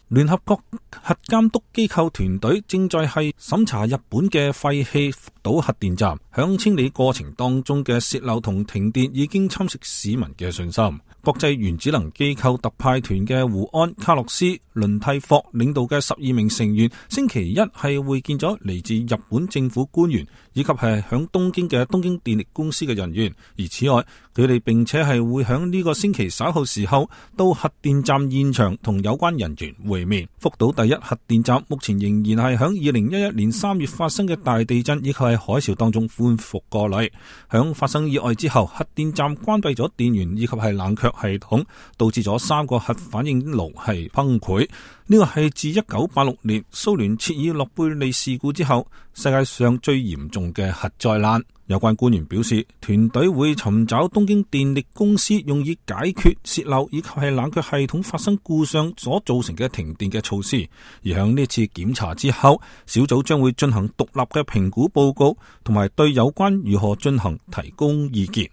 聯合國核監督機構團隊正在係審查日本嘅廢棄福島核電站，響清理過程當中嘅洩漏同停電已經侵蝕市民嘅信心。國際原子能機構特派團嘅胡安、卡洛斯、倫蒂霍領導嘅12名成員，星期一係會見咗嚟自日本政府官員以及係響東京嘅東京電力公司嘅人員。而此外，佢哋並且係會響呢個星期稍後時候到核電站現場同有關人員會面。福島第一核電站目前仍然係響2011年3月發生嘅大地震以及係海嘯當中恢復過嚟。響發生意外之後，核電站關閉咗電源以及係冷卻系統，導致咗3個核反應爐係崩潰。呢個係自1986年蘇聯切爾諾貝利事故之後世界上最嚴重嘅核災難。有關官員表示，團隊會尋找東京電力公司用以解決洩漏以及係冷卻系統發生故障所造成嘅停電嘅措施。而向呢次檢查之後，小組將會進行獨立嘅評估報告，同埋對有關如何進行提供意見。